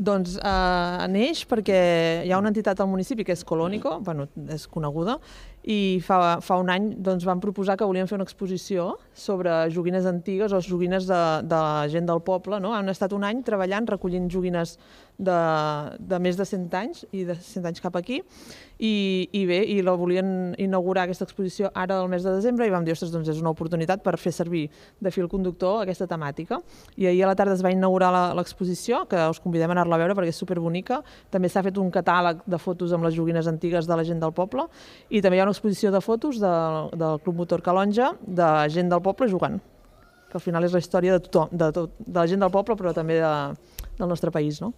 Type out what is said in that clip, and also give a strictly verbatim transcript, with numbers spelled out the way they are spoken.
Doncs eh, neix perquè hi ha una entitat al municipi que és Colònico, bueno, és coneguda, i fa, fa un any doncs, van proposar que volien fer una exposició sobre joguines antigues o joguines de, de la gent del poble. No? Han estat un any treballant, recollint joguines de, de més de cent anys, i de cent anys cap aquí, i, i bé, i la volien inaugurar aquesta exposició ara al mes de desembre, i vam dir, ostres, doncs és una oportunitat per fer servir de fil conductor aquesta temàtica. I ahir a la tarda es va inaugurar l'exposició, que us convidem a anar-la a veure perquè és superbonica. També s'ha fet un catàleg de fotos amb les joguines antigues de la gent del poble, i també hi ha una exposició de fotos de, del Club Motor Calonja, de gent del poble jugant, que al final és la història de tothom, de, tot, de la gent del poble, però també de, del nostre país, no?